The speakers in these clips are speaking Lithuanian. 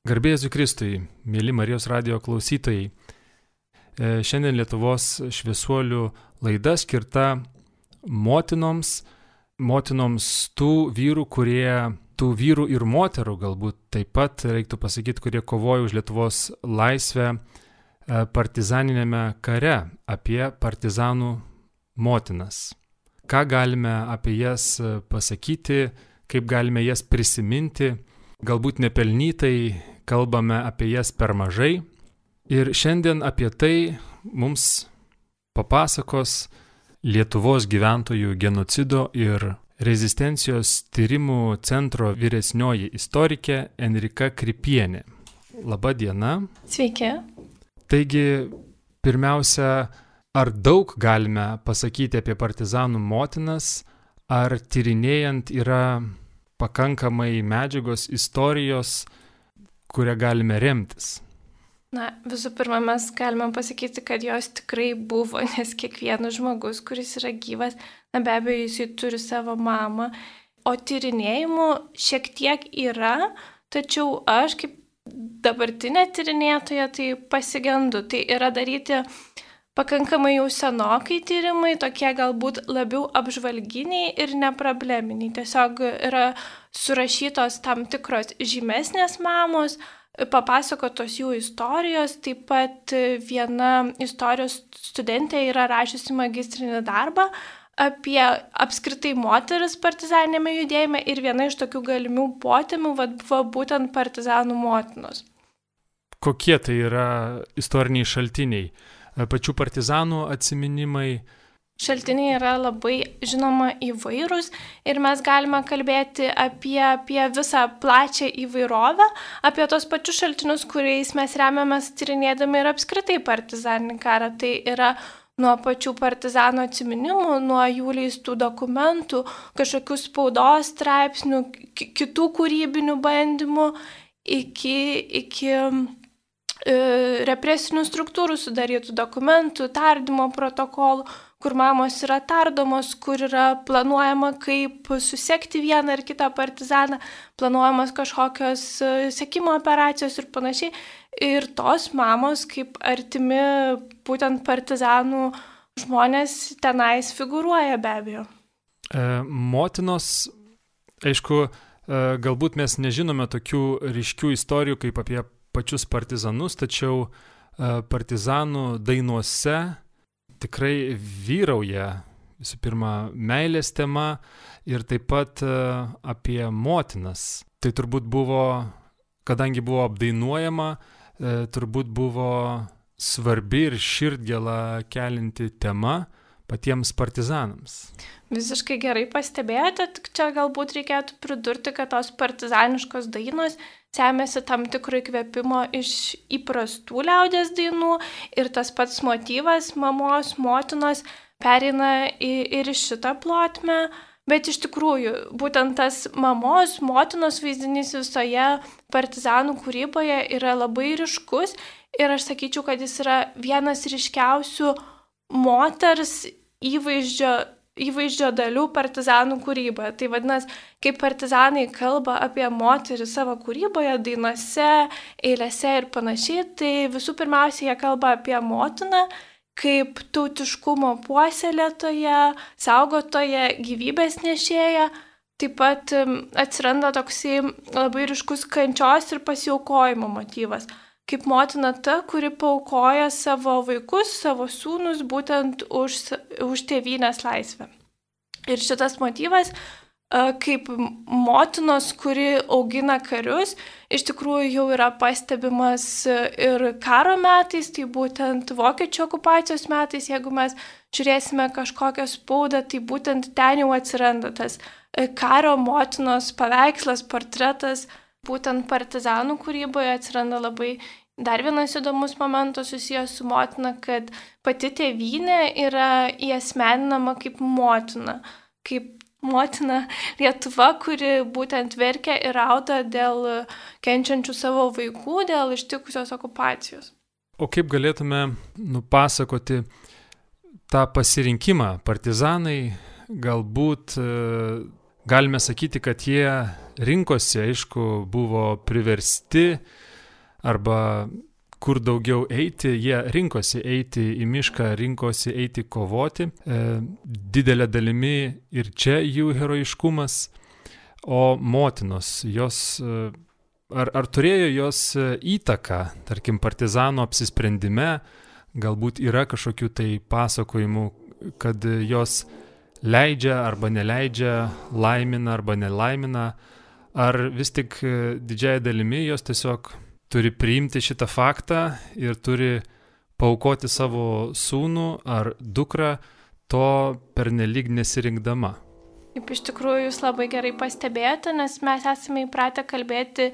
Garbė Jėzui Kristui, mėly Marijos radijo klausytojai. Šiandien Lietuvos šviesuolių laida skirta motinoms tų vyrų ir moterų, galbūt taip pat reiktų pasakyti, kurie kovojo už Lietuvos laisvę partizaninėme kare, apie partizanų motinas. Ką galime apie jas pasakyti, kaip galime jas prisiminti, galbūt nepelnytai kalbame apie jas per mažai. Ir šiandien apie tai mums papasakos Lietuvos gyventojų genocido ir rezistencijos tyrimų centro vyresnioji istorikė Enrika Kripienė. Labą dieną. Sveiki. Taigi, pirmiausia, ar daug galime pasakyti apie partizanų motinas, ar tyrinėjant yra pakankamai medžiagos, istorijos, kurią galime remtis? Visų pirma, mes galime pasakyti, kad jos tikrai buvo, nes kiekvienas žmogus, kuris yra gyvas, be abejo, jisai turi savo mamą, o tyrinėjimų šiek tiek yra, tačiau aš kaip dabartinė tyrinėtoja tai pasigendu. Tai yra daryti pakankamai jau senokai tyrimai, tokie galbūt labiau apžvalginiai ir neprobleminiai. Tiesiog yra surašytos tam tikros žymesnės mamos, papasakotos jų istorijos, taip pat viena istorijos studentė yra rašiusi magistrinį darbą apie apskritai moteris partizaninėme judėjime ir viena iš tokių galimų potemių buvo būtent partizanų motinos. Kokie tai yra istoriniai šaltiniai? Pačių partizanų atsiminimai? Šaltiniai yra labai, žinoma, įvairūs ir mes galime kalbėti apie visą plačią įvairovę, apie tos pačius šaltinius, kuriais mes remiamės tyrinėdami ir apskritai partizaninį karą. Tai yra nuo pačių partizanų atsiminimų, nuo jų leistų dokumentų, kažkokių spaudos straipsnių, kitų kūrybinių bandymų, iki represinių struktūrų sudarytų dokumentų, tardymo protokolų, kur mamos yra tardomos, kur yra planuojama, kaip susekti vieną ar kitą partizaną, planuojamas kažkokios sekimo operacijos ir panašiai. Ir tos mamos, kaip artimi būtent partizanų žmonės, tenais figūruoja be abejo. Motinos, aišku, galbūt mes nežinome tokių ryškių istorijų kaip apie pačius partizanus, tačiau partizanų dainuose tikrai vyrauja visų pirma meilės tema ir taip pat apie motinas. Tai turbūt buvo, kadangi buvo apdainuojama, turbūt buvo svarbi ir širdgėlą kelinti tema patiems partizanams. Visiškai gerai pastebėjote, tik čia galbūt reikėtų pridurti, kad tos partizaniškos dainos semiasi tam tikro įkvėpimo iš įprastų liaudies dainų ir tas pats motyvas mamos, motinos pereina ir į šitą plotmę, bet iš tikrųjų būtent tas mamos, motinos vaizdinys visoje partizanų kūryboje yra labai ryškus ir aš sakyčiau, kad jis yra vienas ryškiausių moters įvaizdžio dalių partizanų kūryboje. Tai vadinasi, kaip partizanai kalba apie moterį savo kūryboje, dainose, eilėse ir panašiai, tai visų pirmiausia jie kalba apie motiną kaip tautiškumo puoselėtoją, saugotoją, gyvybės nešėją. Taip pat atsiranda toksai labai ryškus kančios ir pasiaukojimo motyvas. Kaip motina ta, kuri paaukoja savo vaikus, savo sūnus būtent už tėvynės laisvę. Ir šitas motyvas, kaip motinos, kuri augina karius, iš tikrųjų jau yra pastebimas ir karo metais, tai būtent vokiečių okupacijos metais, jeigu mes žiūrėsime kažkokią spaudą, tai būtent ten jau atsiranda tas karo motinos paveikslas, portretas. Būtent partizanų kūryboje atsiranda labai dar vienas įdomus momentas susijęs su motina, kad pati tėvynė yra įasmeninama kaip motina Lietuva, kuri būtent verkia ir rauda dėl kenčiančių savo vaikų, dėl ištikusios okupacijos. O kaip galėtume nupasakoti tą pasirinkimą? Partizanai galbūt galime sakyti, kad jie rinkosi, aišku, buvo priversti arba kur daugiau eiti, jie rinkosi eiti į mišką, rinkosi eiti kovoti. Didelė dalimi ir čia jų herojiškumas, o motinos, ar turėjo jos įtaką, tarkim, partizanų apsisprendime, galbūt yra kažkokių tai pasakojimų, kad jos leidžia arba neleidžia, laimina arba nelaimina, ar vis tik didžiąją dalimi jos tiesiog turi priimti šitą faktą ir turi paaukoti savo sūnų ar dukrą, to pernelyg nesirinkdama. Taip, iš tikrųjų, jūs labai gerai pastebėjote, nes mes esame įpratę kalbėti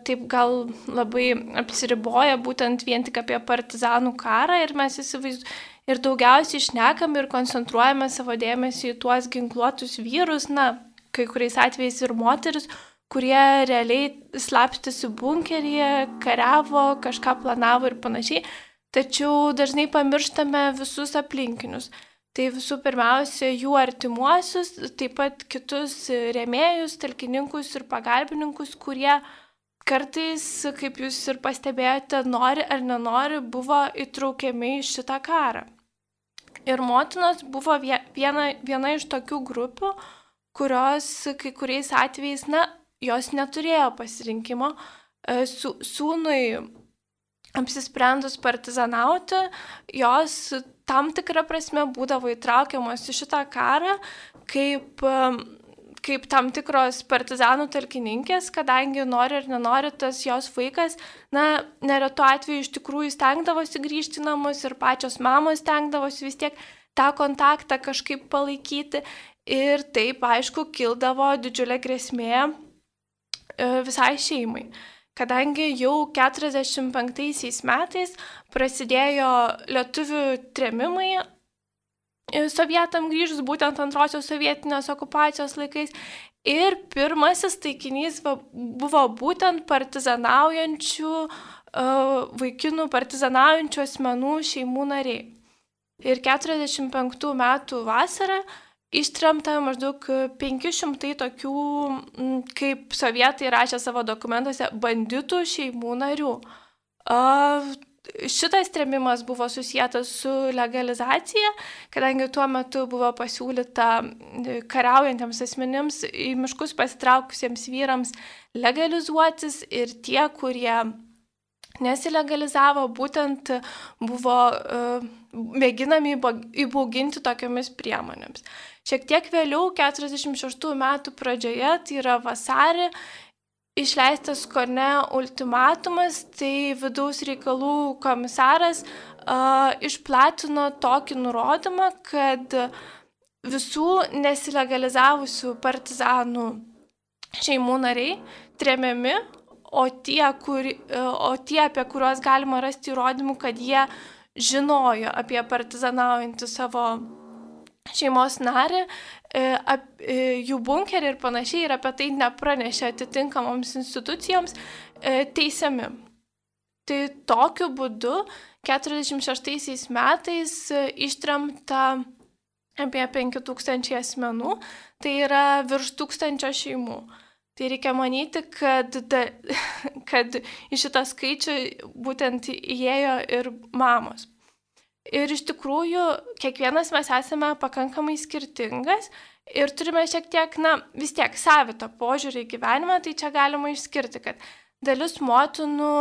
taip gal labai apsiriboja būtent vien tik apie partizanų karą ir mes ir daugiausiai šnekam ir koncentruojame savo dėmesį į tuos ginkluotus vyrus, kai kuriais atvejais ir moteris, kurie realiai slapstėsi bunkeryje, kariavo, kažką planavo ir panašiai, tačiau dažnai pamirštame visus aplinkinius. Tai visų pirmiausia, jų artimuosius, taip pat kitus rėmėjus, talkininkus ir pagalbininkus, kurie kartais, kaip jūs ir pastebėjote, nori ar nenori, buvo įtraukiami į šitą karą. Ir motinos buvo viena iš tokių grupių, kurios kai kuriais atvejais, jos neturėjo pasirinkimo. Sūnui apsisprendus partizanauti, jos tam tikrą prasme būdavo įtraukiamos į šitą karą kaip tam tikros partizanų talkininkės, kadangi nori ar nenori tas jos vaikas, neretu atveju iš tikrųjų stengdavosi grįžti į namus ir pačios mamos stengdavosi vis tiek tą kontaktą kažkaip palaikyti ir taip, aišku, kildavo didžiulė grėsmė visai šeimai. Kadangi jau 45 metais prasidėjo lietuvių trėmimai sovietam grįžus, būtent antrosios sovietinės okupacijos laikais. Ir pirmasis taikinys buvo būtent partizanaujančių vaikinų, partizanaujančių asmenų šeimų nariai. Ir 45 metų vasarą ištremta maždaug 500 tokių, kaip sovietai rašė savo dokumentuose, banditų šeimų narių. Šitas trėmimas buvo susietas su legalizacija, kadangi tuo metu buvo pasiūlyta kariaujantiems asmenims į miškus pasitraukusiems vyrams legalizuotis ir tie, kurie nesilegalizavo, būtent buvo mėginami įbauginti tokiamis priemonėmis. Šiek tiek vėliau, 46 metų pradžioje, tai yra vasarį, išleistas kone ultimatumas, tai vidaus reikalų komisaras išplatino tokį nurodymą, kad visų nesilegalizavusių partizanų šeimų nariai tremiami, o tie, apie kuriuos galima rasti įrodymų, kad jie žinojo apie partizanaujantį savo šeimos narį, jų bunkerį ir panašiai, ir apie tai nepranešė atitinkamoms institucijoms, teisiami. Tai tokiu būdu 46 metais ištremta apie 5000 asmenų, tai yra virš 1000 šeimų. Tai reikia manyti, kad į šitą skaičių būtent įėjo ir mamos. Ir iš tikrųjų, kiekvienas mes esame pakankamai skirtingas ir turime šiek tiek, vis tiek savitą požiūrį į gyvenimą, tai čia galima išskirti, kad dalis motinų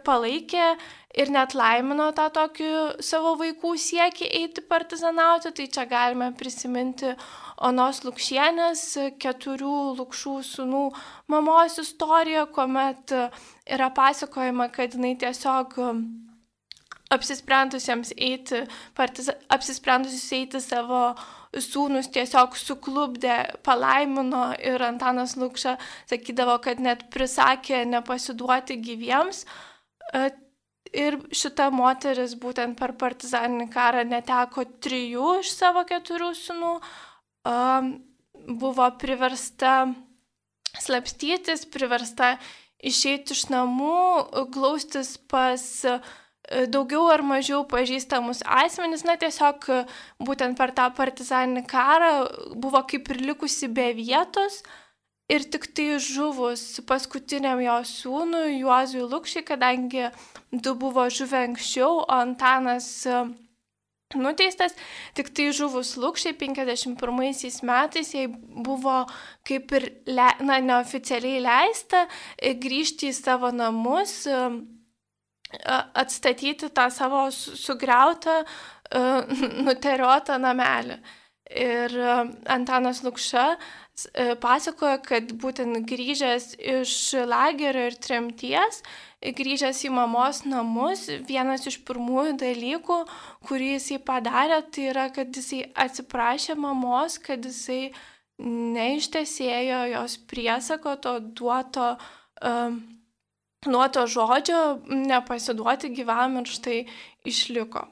palaikė ir net laimino tą tokį savo vaikų siekį eiti partizanauti, tai čia galime prisiminti Onos Lukšienės 4 Lukšų sūnų mamos istoriją, kuomet yra pasakojama, kad jinai tiesiog apsisprendusius eiti savo sūnus tiesiog suklubdė, palaimino ir Antanas Lukša sakydavo, kad net prisakė nepasiduoti gyviems. Ir šita moteris būtent per partizaninį karą neteko 3 iš savo 4 sūnų, buvo priversta slapstytis, priversta išeiti iš namų, glaustis pas daugiau ar mažiau pažįstamus asmenis, tiesiog būtent per tą partizaninį karą buvo kaip ir likusi be vietos ir tik tai žuvus paskutiniam jo sūnui Juozui Lukšiui, kadangi du buvo žuvę anksčiau, o Antanas nuteistas, tik tai žuvus Lukšiai 51 metais jai buvo kaip ir neoficialiai leista grįžti į savo namus, atstatyti tą savo sugriautą, nuteriotą namelį. Ir Antanas Lukša pasakoja, kad būtent grįžęs iš lagerio ir tremties, grįžęs į mamos namus, vienas iš pirmųjų dalykų, kurį jisai padarė, tai yra, kad jisai atsiprašė mamos, kad jisai neištesėjo jos priesako, to duoto nuo to žodžio nepasiduoti gyvam ir štai išliko.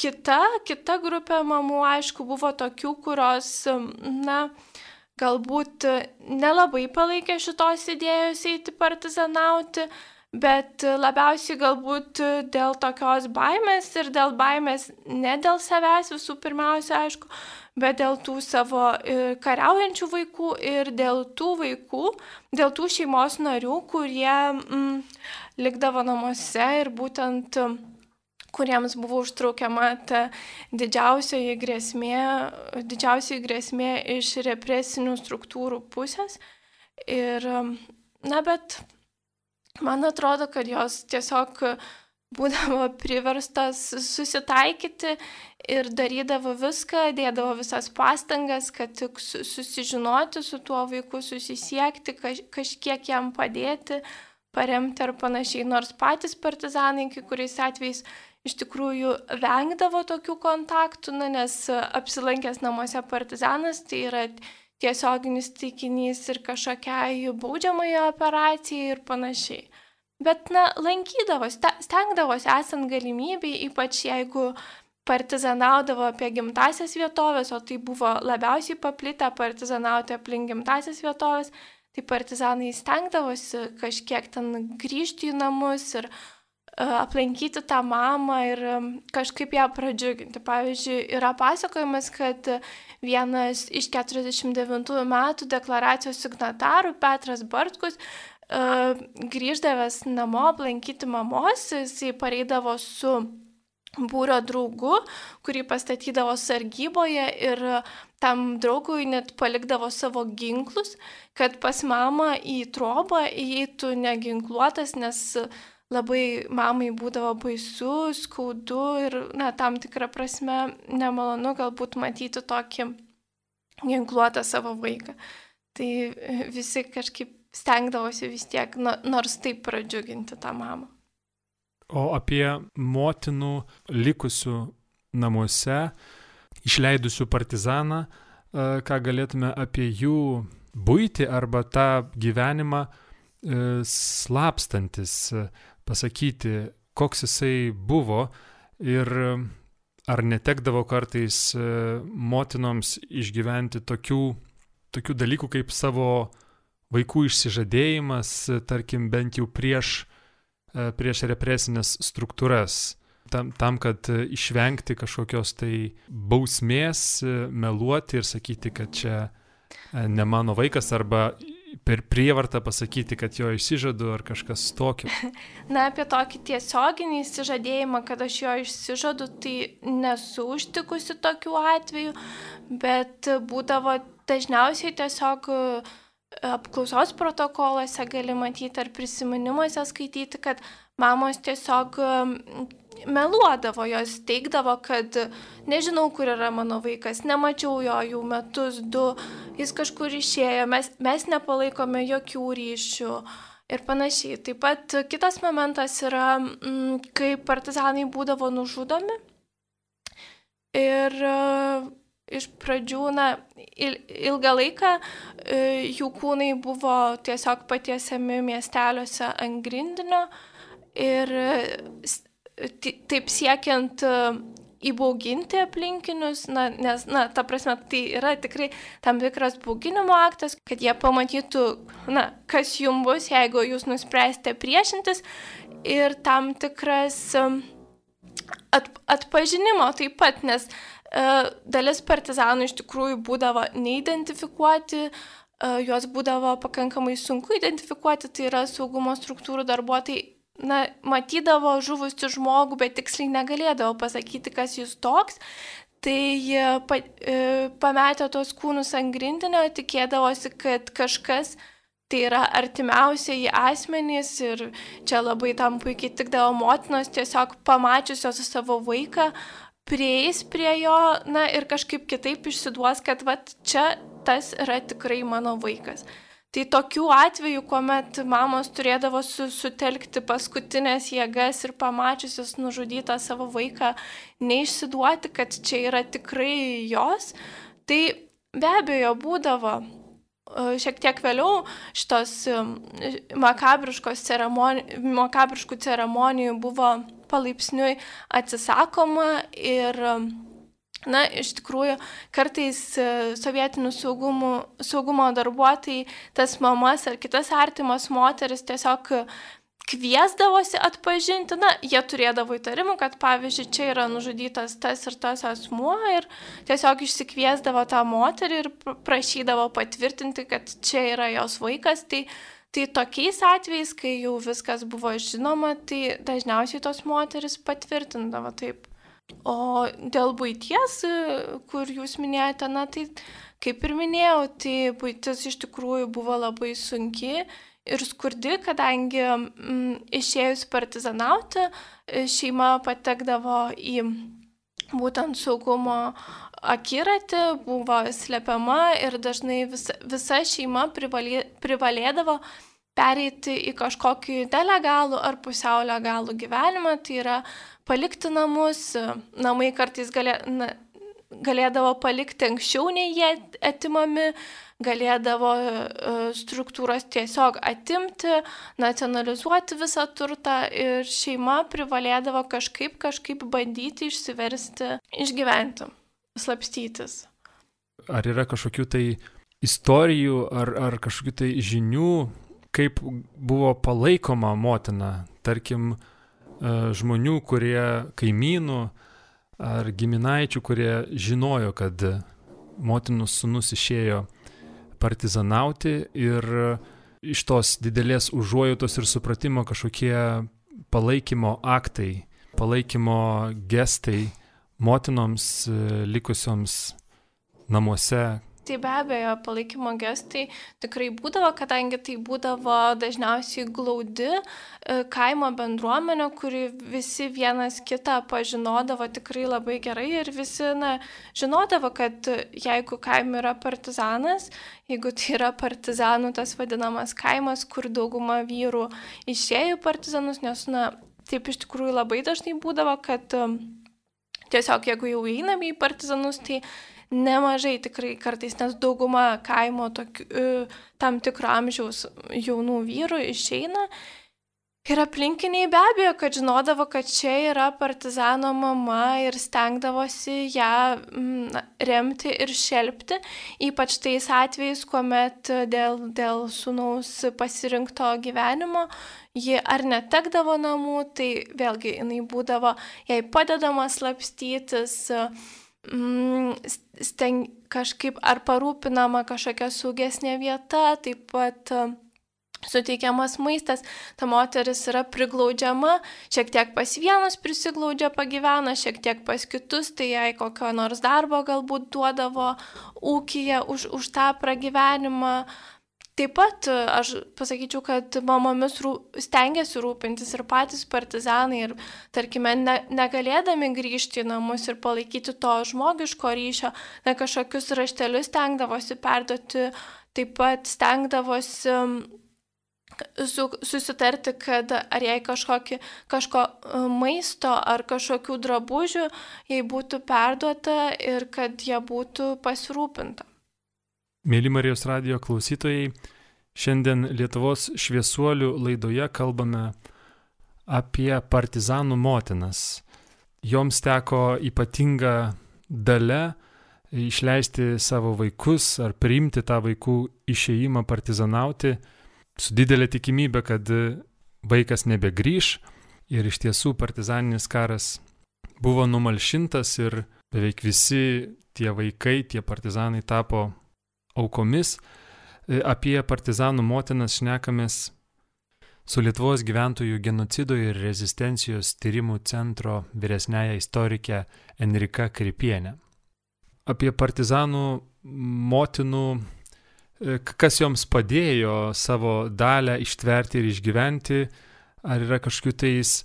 Kita grupė mamų, aišku, buvo tokių, kurios, galbūt nelabai palaikė šitos idėjos eiti partizanauti, bet labiausiai galbūt dėl tokios baimės ir dėl baimės ne dėl savęs visų pirmiausia, aišku, bet dėl tų savo kariaujančių vaikų ir dėl tų vaikų, dėl tų šeimos narių, kurie likdavo namuose ir būtent kuriems buvo užtraukiama ta didžiausioji grėsmė iš represinių struktūrų pusės. Ir, bet man atrodo, kad jos tiesiog būdavo priverstas susitaikyti ir darydavo viską, dėdavo visas pastangas, kad tik susižinoti su tuo vaiku, susisiekti, kažkiek jam padėti, paremti ar panašiai. Nors patys partizanai kai kuriais atvejais iš tikrųjų vengdavo tokių kontaktų, nes apsilankęs namuose partizanas tai yra tiesioginis taikinys ir kažkokiai baudžiamai operacijai ir panašiai. Bet, lankydavosi, stengdavosi esant galimybei, ypač jeigu partizanaudavo apie gimtasias vietovės, o tai buvo labiausiai paplitę partizanauti aplink gimtasias vietovės, tai partizanai stengdavosi kažkiek ten grįžti į namus ir aplankyti tą mamą ir kažkaip ją pradžiuginti. Pavyzdžiui, yra pasakojimas, kad vienas iš 49 metų deklaracijos signatarų, Petras Bartkus, grįždavęs namo aplankyti mamos, jisai pareidavo su būrio draugu, kurį pastatydavo sargyboje ir tam draugui net palikdavo savo ginklus, kad pas mamą į trobą įeitų neginkluotas, nes labai mamai būdavo baisu, skaudu ir, tam tikrą prasme nemalonu galbūt matyti tokį ginkluotą savo vaiką. Tai visi kažkaip stengdavosi vis tiek, nors taip pradžiuginti tą mamą. O apie motinų likusių namuose, išleidusių partizaną, ką galėtume apie jų buitį arba tą gyvenimą slapstantis pasakyti, koks jisai buvo ir ar netekdavo kartais motinoms išgyventi tokių dalykų kaip savo vaikų išsižadėjimas, tarkim, bent jau prieš represinės struktūras, tam, kad išvengti kažkokios tai bausmės, meluoti ir sakyti, kad čia ne mano vaikas arba per prievartą pasakyti, kad jo išsižadu ar kažkas tokio. Apie tokį tiesioginį išsižadėjimą, kad aš jo išsižadu, tai nesu užtikusi tokių atvejų, bet būdavo dažniausiai tiesiog apklausos protokoluose gali matyti ar prisiminimuose skaityti, kad mamos tiesiog meluodavo, jos teigdavo, kad nežinau, kur yra mano vaikas, nemačiau jo jau metus, 2, jis kažkur išėjo, mes nepalaikome jokių ryšių ir panašiai. Taip pat kitas momentas yra, kai partizanai būdavo nužudomi ir iš pradžių, ilgą laiką jų kūnai buvo tiesiog patiesiami miesteliuose ant grindinio ir taip siekiant įbauginti aplinkinius, nes, ta prasme, tai yra tikrai tam tikras bauginimo aktas, kad jie pamatytų, kas jums bus, jeigu jūs nuspręsite priešintis, ir tam tikras atpažinimo taip pat, nes dalis partizanų iš tikrųjų būdavo neidentifikuoti, juos būdavo pakankamai sunku identifikuoti, tai yra saugumo struktūrų darbuotojai, matydavo žuvusi žmogų, bet tiksliai negalėdavo pasakyti, kas jis toks. Tai jie pametė tos kūnus ant grindinio, tikėdavosi, kad kažkas tai yra artimiausiai asmenys ir čia labai tam puikiai tikdavo motinos, tiesiog pamačiusios savo vaiką, prieis prie jo, ir kažkaip kitaip išsiduos, kad čia tas yra tikrai mano vaikas. Tai tokių atvejų, kuomet mamos turėdavo sutelkti paskutinės jėgas ir pamačiusios nužudytą savo vaiką, neišsiduoti, kad čia yra tikrai jos, tai be abejo būdavo. Šiek tiek vėliau šitos makabriškų ceremonijų buvo palaipsniui atsisakoma ir, iš tikrųjų, kartais sovietinių saugumo darbuotojai tas mamas ar kitas artimas moteris tiesiog kviesdavosi atpažinti, jie turėdavo įtarimų, kad pavyzdžiui, čia yra nužudytas tas ir tas asmuo ir tiesiog išsikviesdavo tą moterį ir prašydavo patvirtinti, kad čia yra jos vaikas. Tai tokiais atvejais, kai jau viskas buvo žinoma, tai dažniausiai tos moteris patvirtindavo taip. O dėl buities, kur jūs minėjote, tai kaip ir minėjau, tai buitis iš tikrųjų buvo labai sunki ir skurdi, kadangi išėjus partizanauti, šeima patekdavo į būtent saugumo akiratį, buvo slepiama ir dažnai visa šeima privalėdavo pereiti į kažkokį nelegalų ar pusiau legalų gyvenimą, tai yra palikti namus, namai kartais galėdavo palikti anksčiau nei jie atimami, galėdavo struktūros tiesiog atimti, nacionalizuoti visą turtą ir šeima privalėdavo kažkaip bandyti išsiversti, išgyventi, slapstytis. Ar yra kažkokių tai istorijų ar kažkokių tai žinių, kaip buvo palaikoma motina, tarkim, žmonių, kaimynų ar giminaičių, kurie žinojo, kad motinos sūnus išėjo partizanauti ir iš tos didelės užuojautos ir supratimo kažkokie palaikymo aktai, palaikymo gestai motinoms likusioms namuose. Tai be abejo, palaikymo gestai tikrai būdavo, kadangi tai būdavo dažniausiai glaudi kaimo bendruomenė, kuri visi vienas kitą pažinodavo tikrai labai gerai ir visi žinodavo, kad jeigu kaime yra partizanas, jeigu tai yra partizanų tas vadinamas kaimas, kur dauguma vyrų išėjo partizanus, nes taip iš tikrųjų labai dažnai būdavo, kad tiesiog jeigu jau einame į partizanus, tai nemažai tikrai kartais, nes dauguma kaimo tam tikro amžiaus jaunų vyrų išeina. Ir aplinkiniai be abejo, kad žinodavo, kad čia yra partizano mama ir stengdavosi ją remti ir šelpti, ypač tais atvejais, kuomet dėl sūnaus pasirinkto gyvenimo ji ar netekdavo namų, tai vėlgi jinai būdavo jai padedama slapstytis, kažkaip ar parūpinama kažkokia saugesnė vieta, taip pat suteikiamas maistas, ta moteris yra priglaudžiama, šiek tiek pas vienus prisiglaudžia, pagyvena, šiek tiek pas kitus, tai jai kokio nors darbo galbūt duodavo ūkyje už tą pragyvenimą. Taip pat aš pasakyčiau, kad mamomis stengiasi rūpintis ir patys partizanai ir, tarkime, negalėdami grįžti į namus ir palaikyti to žmogiško ryšio, kažkokius raštelius stengdavosi perduoti, taip pat stengdavosi susitarti, kad ar jai kažko maisto ar kažkokių drabužių jai būtų perduota ir kad jie būtų pasirūpinta. Mėly Marijos radijo klausytojai, šiandien Lietuvos šviesuolių laidoje kalbame apie partizanų motinas. Joms teko ypatinga dalia išleisti savo vaikus ar priimti tą vaikų išėjimą partizanauti su didelė tikimybė, kad vaikas nebegrįš. Ir iš tiesų partizaninis karas buvo numalšintas ir beveik visi tie vaikai, tie partizanai tapo aukomis. Apie partizanų motinas šnekamės su Lietuvos gyventojų genocido ir rezistencijos tyrimų centro vyresniaja istorike Enrika Kripienė. Apie partizanų motinų, kas joms padėjo savo dalę ištverti ir išgyventi, ar yra kažkokių tais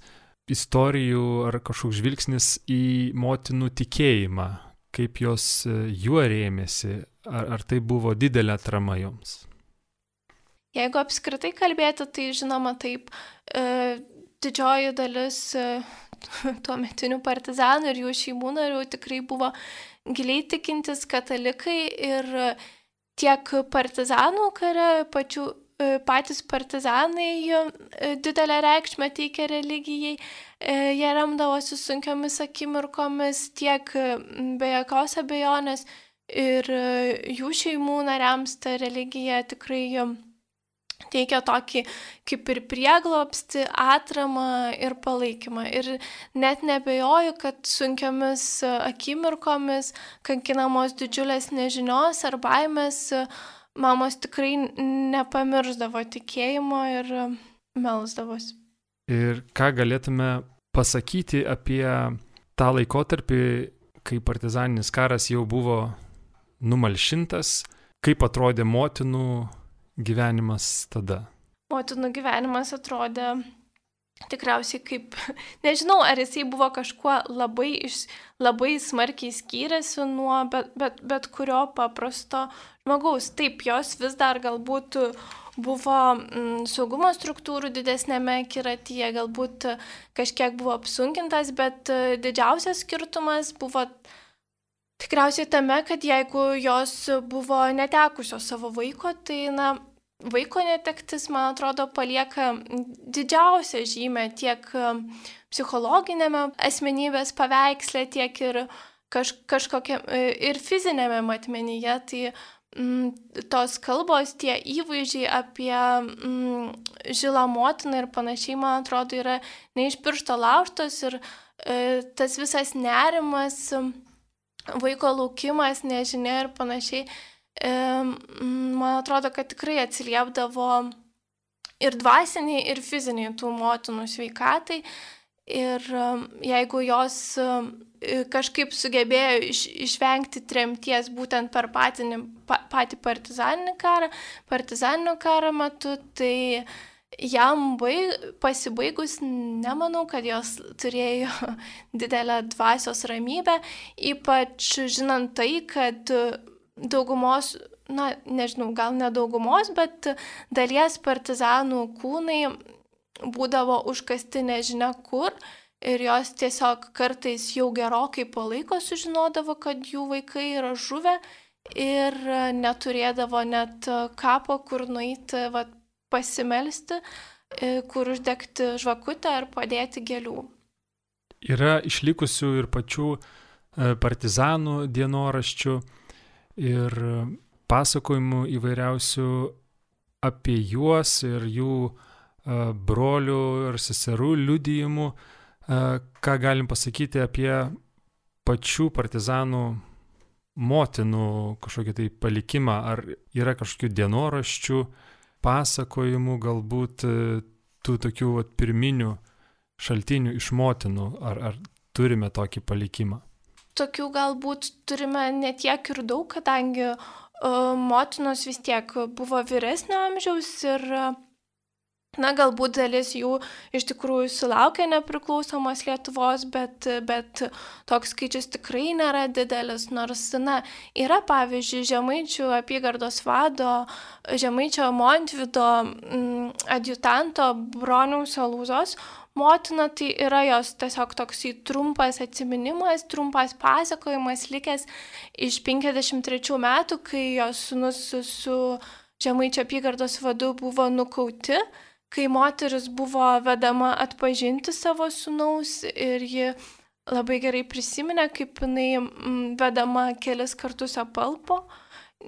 istorijų ar kažkoks žvilgsnis į motinų tikėjimą, kaip jos juo rėmėsi, ar tai buvo didelė atrama joms? Jeigu apskritai kalbėti, tai žinoma taip, didžioji dalis tuometinių partizanų ir jų šeimų narių tikrai buvo giliai tikintis katalikai ir tiek partizanų kare, patys partizanai didelę reikšmę teikia religijai, jie remdavosi sunkiomis akimirkomis, tiek be jokios abejonės ir jų šeimų nariams ta religija tikrai teikia tokį kaip ir prieglobstį, atramą ir palaikymą. Ir net nebejoju, kad sunkiomis akimirkomis, kankinamos didžiulės nežinios ar baimės, mamos tikrai nepamirždavo tikėjimo ir melsdavosi. Ir ką galėtume pasakyti apie tą laikotarpį, kai partizaninis karas jau buvo numalšintas, kaip atrodė motinų gyvenimas tada? Motinų gyvenimas atrodė tikriausiai kaip, nežinau, ar jisai buvo kažkuo labai smarkiai skyrėsi nuo bet kurio paprasto žmogaus. Taip, jos vis dar galbūt buvo saugumo struktūrų didesnėme akiratyje, galbūt kažkiek buvo apsunkintas, bet didžiausias skirtumas buvo tikriausiai tame, kad jeigu jos buvo netekusios savo vaiko, tai vaiko netektis, man atrodo, palieka didžiausią žymę tiek psichologinėme asmenybės paveiksle, tiek ir kažkokia ir fizinėme matmenyje. Tai tos kalbos, tie įvaizdžiai apie žilą motiną ir panašiai, man atrodo, yra ne iš piršto laužtos ir tas visas nerimas, vaiko laukimas, nežinia ir panašiai, man atrodo, kad tikrai atsiliepdavo ir dvasiniai, ir fiziniai tų motinų sveikatai. Ir jeigu jos kažkaip sugebėjo išvengti tremties būtent per patį partizaninio karą metu, tai jam pasibaigus, nemanau, kad jos turėjo didelę dvasios ramybę, ypač žinant tai, kad daugumos, nežinau, gal ne daugumos, bet dalies partizanų kūnai būdavo užkasti nežinia kur ir jos tiesiog kartais jau gerokai po laiko sužinodavo, kad jų vaikai yra žuvę ir neturėdavo net kapo, kur nueiti, pasimelsti, kur uždegti žvakutę ar padėti gėlių. Yra išlikusių ir pačių partizanų dienoraščių ir pasakojimų įvairiausių apie juos ir jų brolių ir seserų liudijimų. Ką galim pasakyti apie pačių partizanų motinų kažkokį tai palikimą? Ar yra kažkokių dienoraščių, pasakojimų, galbūt tų tokių pirminių šaltinių iš motinų? Ar turime tokį palikimą? Tokių galbūt turime ne tiek ir daug, kadangi motinos vis tiek buvo vyresnio amžiaus ir galbūt dalis jų iš tikrųjų sulaukė nepriklausomos Lietuvos, bet toks skaičius tikrai nėra didelis, nors, yra pavyzdžiui Žemaičių apygardos vado, Žemaičio Montvydo adjutanto Broniaus Alūzos motina, tai yra jos tiesiog toksai trumpas atsiminimas, trumpas pasakojimas likęs iš 53 metų, kai jos sūnus su Žemaičio apygardos vadu buvo nukauti, kai moteris buvo vedama atpažinti savo sūnaus ir ji labai gerai prisiminė, kaip jinai vedama kelis kartus apalpo,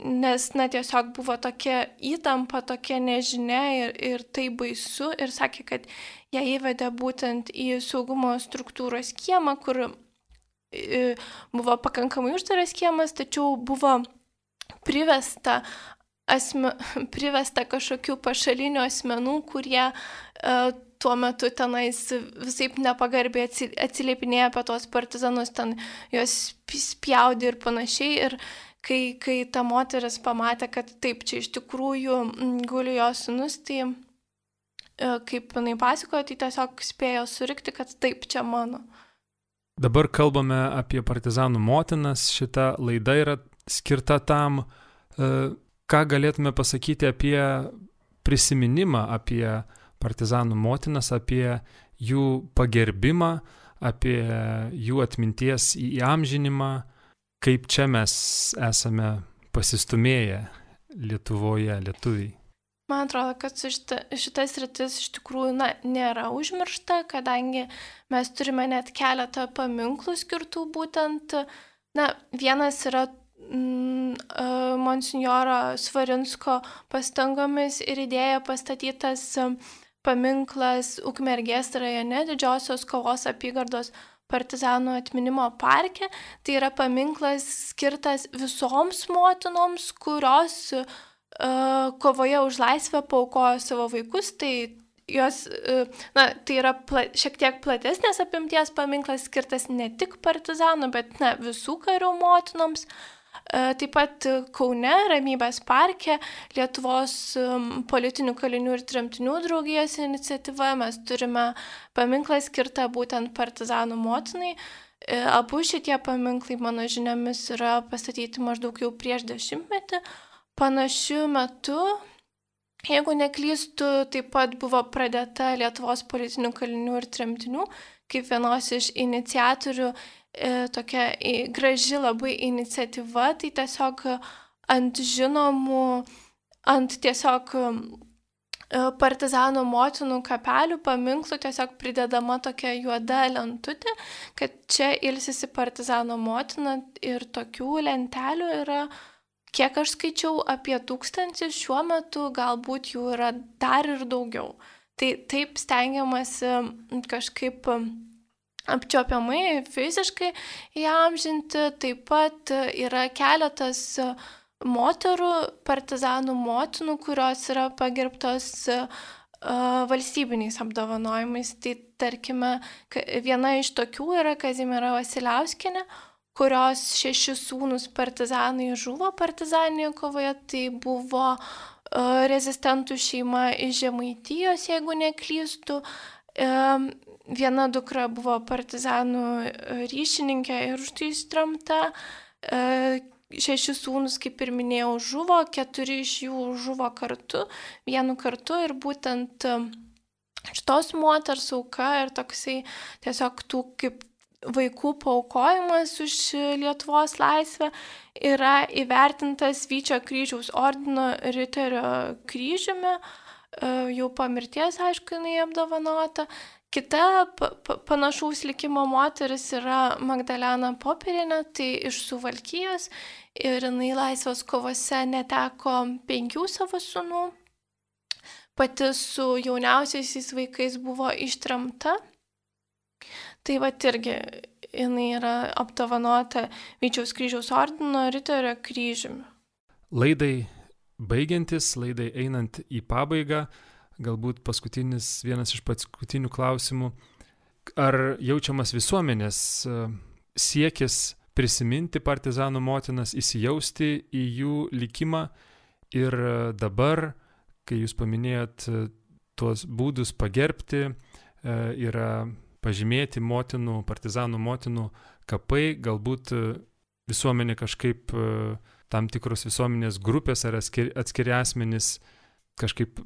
nes tiesiog buvo tokia įtampa, tokia nežinia ir tai baisu ir sakė, kad ją įvedė būtent į saugumo struktūros kiemą, kur buvo pakankamai uždaras kiemas, tačiau buvo privesta privesta kažkokių pašalinių asmenų, kurie tuo metu tenais visaip nepagarbiai atsiliepinėja apie tos partizanus, ten juos spjaudė ir panašiai. Ir kai ta moteris pamatė, kad taip, čia iš tikrųjų guli jos sūnus, tai kaip jinai pasakojo, tai tiesiog spėjo surikti, kad taip, čia mano. Dabar kalbame apie partizanų motinas, šita laida yra skirta tam, ką galėtume pasakyti apie prisiminimą, apie partizanų motinas, apie jų pagerbimą, apie jų atminties įamžinimą, kaip čia mes esame pasistumėję Lietuvoje, lietuviai. Man atrodo, kad šitas sritis iš tikrųjų nėra užmiršta, kadangi mes turime net keletą paminklų skirtų būtent, vienas yra monsinjoro Svarinsko pastangomis ir idėja pastatytas paminklas Ukmergės rajone Didžiosios Kovos apygardos partizanų atminimo parke. Tai yra paminklas skirtas visoms motinoms, kurios kovoje už laisvę paaukojo savo vaikus. Tai jos, tai yra šiek tiek platesnės apimties paminklas skirtas ne tik partizanų, bet visų karių motinoms. Taip pat Kaune, Ramybės parke, Lietuvos politinių kalinių ir tremtinių draugijos iniciatyva, mes turime paminklą skirtą būtent partizanų motinai. Abu šitie paminklai, mano žiniomis, yra pastatyti maždaug jau prieš 10 metų. Panašiu metu, jeigu neklystu, taip pat buvo pradėta Lietuvos politinių kalinių ir tremtinių kaip vienos iš iniciatorių tokia graži labai iniciatyva, tai tiesiog ant tiesiog partizanų motinų kapelių paminklų tiesiog pridedama tokia juoda lentutė, kad čia ilsisi partizanų motina, ir tokių lentelių yra, kiek aš skaičiau, apie 1000, šiuo metu galbūt jų yra dar ir daugiau. Tai taip stengiamasi kažkaip apčiuopiamai, fiziškai įamžinti. Taip pat yra keletas moterų, partizanų motinų, kurios yra pagerbtos valstybiniais apdovanojimais. Tai tarkime, viena iš tokių yra Kazimiera Vasiliauskienė, kurios 6 sūnus partizanai žuvo partizaninėje kovoje. Tai buvo rezistentų šeima iš Žemaitijos, jeigu neklystu. Viena dukra buvo partizanų ryšininkė ir už tai ištremta. 6 sūnus, kaip ir minėjau, žuvo, 4 iš jų žuvo kartu, vienu kartu, ir būtent šitos moters auka ir toksai tiesiog tų kaip vaikų paaukojimas už Lietuvos laisvę yra įvertintas Vyčio kryžiaus ordino riterio kryžiumi, jau po mirties, aišku, jinai apdovanota. Kita panašaus likimo moteris yra Magdalena Popierienė, tai iš Suvalkijos, ir jinai laisvės kovose neteko 5 savo sūnų. Pati su jauniausiaisiais vaikais buvo ištremta. Tai irgi jinai yra apdovanota Vyčiaus kryžiaus ordino riterio kryžiumi. Laidai baigiantis, laidai einant į pabaigą, galbūt vienas iš paskutinių klausimų. Ar jaučiamas visuomenės siekis prisiminti partizanų motinas, įsijausti į jų likimą, ir dabar, kai jūs paminėjot tuos būdus pagerbti, yra pažymėti partizanų motinų kapai, galbūt visuomenė kažkaip, tam tikros visuomenės grupės ar atskiri asmenys kažkaip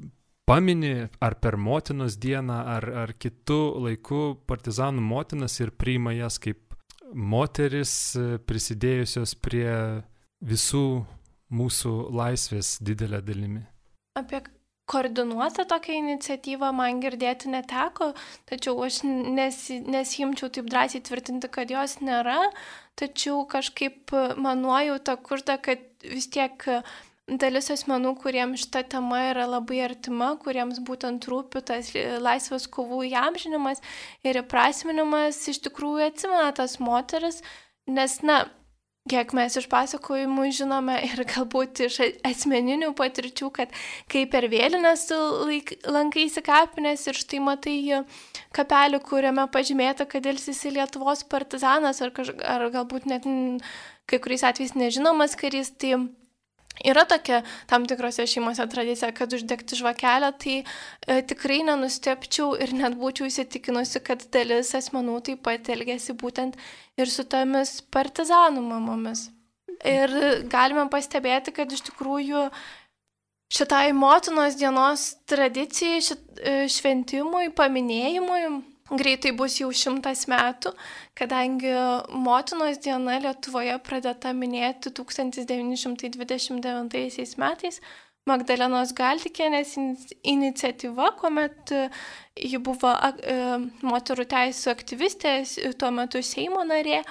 pamini ar per motinos dieną, ar kitų laikų partizanų motinas ir priima jas kaip moteris prisidėjusios prie visų mūsų laisvės didelę dalimi. Apie koordinuotą tokią iniciatyvą man girdėti neteko, tačiau aš nesijimčiau taip drąsiai tvirtinti, kad jos nėra, tačiau kažkaip nuojauta kurta, kad vis tiek dalis asmenų, kuriems šita tema yra labai artima, kuriems būtent rūpi tas laisvės kovų įamžinimas ir įprasminimas, iš tikrųjų atsimena tas moteris, nes, kiek mes iš pasakojimų žinome ir galbūt iš asmeninių patirčių, kad kai per vėlinės lankaisi kapinės ir štai matai kapelį, kuriame pažymėta, kad ilsisi Lietuvos partizanas ar galbūt net kai kuriais atvejais nežinomas karys, tai yra tokia tam tikrose šeimose tradicija, kad uždegti žvakelę, tai tikrai nenustepčiau ir net būčiau įsitikinusi, kad dalis asmenų taip pat elgėsi būtent ir su tomis partizanų mamomis. Ir galime pastebėti, kad iš tikrųjų šitai motinos dienos tradicijai, šventimui, paminėjimui greitai bus jau 100 metų, kadangi motinos diena Lietuvoje pradėta minėti 1929 metais Magdalenos Galdikienės iniciatyva, kuomet ji buvo moterų teisų aktyvistė, tuo metu Seimo narė,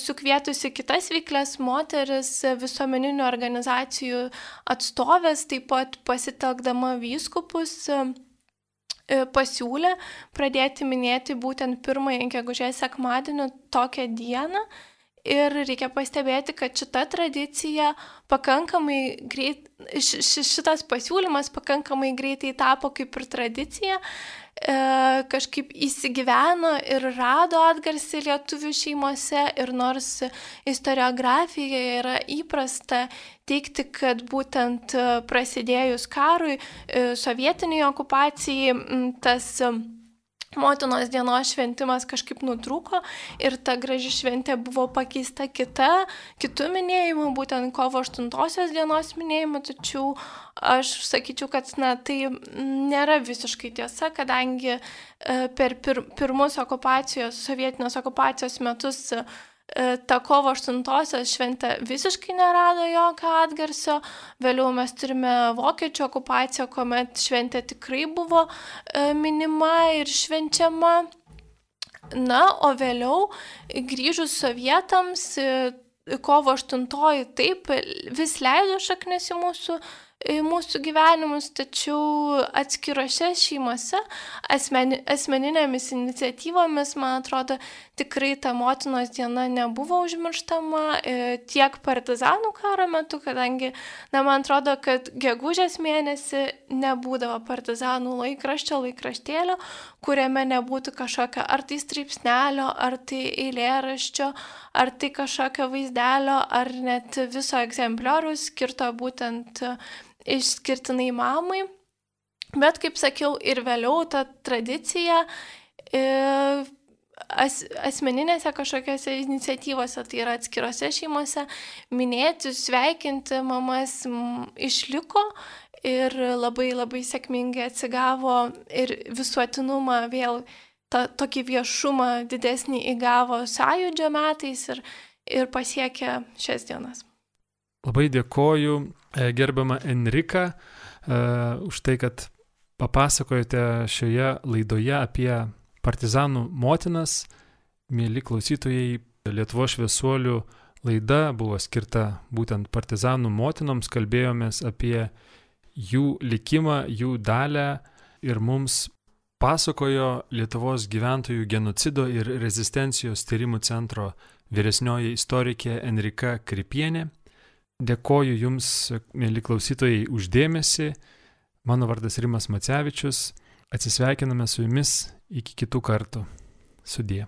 sukvietusi kitas veiklias moteris, visuomeninių organizacijų atstovės, taip pat pasitelkdama vyskupus, pasiūlė pradėti minėti būtent 1 gegužės sekmadienį tokią dieną. Ir reikia pastebėti, kad šita tradicija pakankamai greit, šitas pasiūlymas pakankamai greitai tapo kaip ir tradicija, kažkaip įsigyveno ir rado atgarsį lietuvių šeimose. Ir nors istoriografijoje yra įprasta teigti, kad būtent prasidėjus karui, sovietiniai okupacijai, tas motinos dienos šventimas kažkaip nutrūko ir ta graži šventė buvo pakeista kitų minėjimų, būtent kovo 8 dienos minėjimu, tačiau aš sakyčiau, kad tai nėra visiškai tiesa, kadangi per pirmus sovietinės okupacijos metus ta kovo 8 šventė visiškai nerado jokio atgarsio. Vėliau mes turime vokiečių okupaciją, kuomet šventė tikrai buvo minima ir švenčiama. Na, o vėliau grįžus sovietams, kovo 8 taip vis leido šaknis į mūsų gyvenimus, tačiau atskirose šeimose, asmeninėmis iniciatyvomis, man atrodo, tikrai ta motinos diena nebuvo užmirštama tiek partizanų karo metu, kadangi, man atrodo, kad gegužės mėnesį nebūdavo partizanų laikraštėlio, kuriame nebūtų kažkokio ar tai straipsnelio, ar tai eilėraščio, ar tai kažkokio vaizdelio, ar net viso egzemplioriaus skirto būtent išskirtinai mamai. Bet, kaip sakiau, ir vėliau ta tradicija asmeninėse kažkokiose iniciatyvose, tai yra atskirose šeimose, minėti, sveikinti mamas išliko ir labai labai sėkmingai atsigavo ir visuotinumą vėl tokį viešumą didesnį įgavo Sąjūdžio metais ir pasiekė šias dienas. Labai dėkoju, gerbiama Enrika, už tai, kad papasakojate šioje laidoje apie partizanų motinas. Mieli klausytojai, Lietuvos šviesuolių laida buvo skirta būtent partizanų motinoms, kalbėjomės apie jų likimą, jų dalią ir mums pasakojo Lietuvos gyventojų genocido ir rezistencijos tyrimų centro vyresnioji istorikė Enrika Kripienė. Dėkoju Jums, mieli klausytojai, už dėmesį. Mano vardas Rimas Macevičius. Atsisveikiname su Jumis iki kitų kartų. Sudie.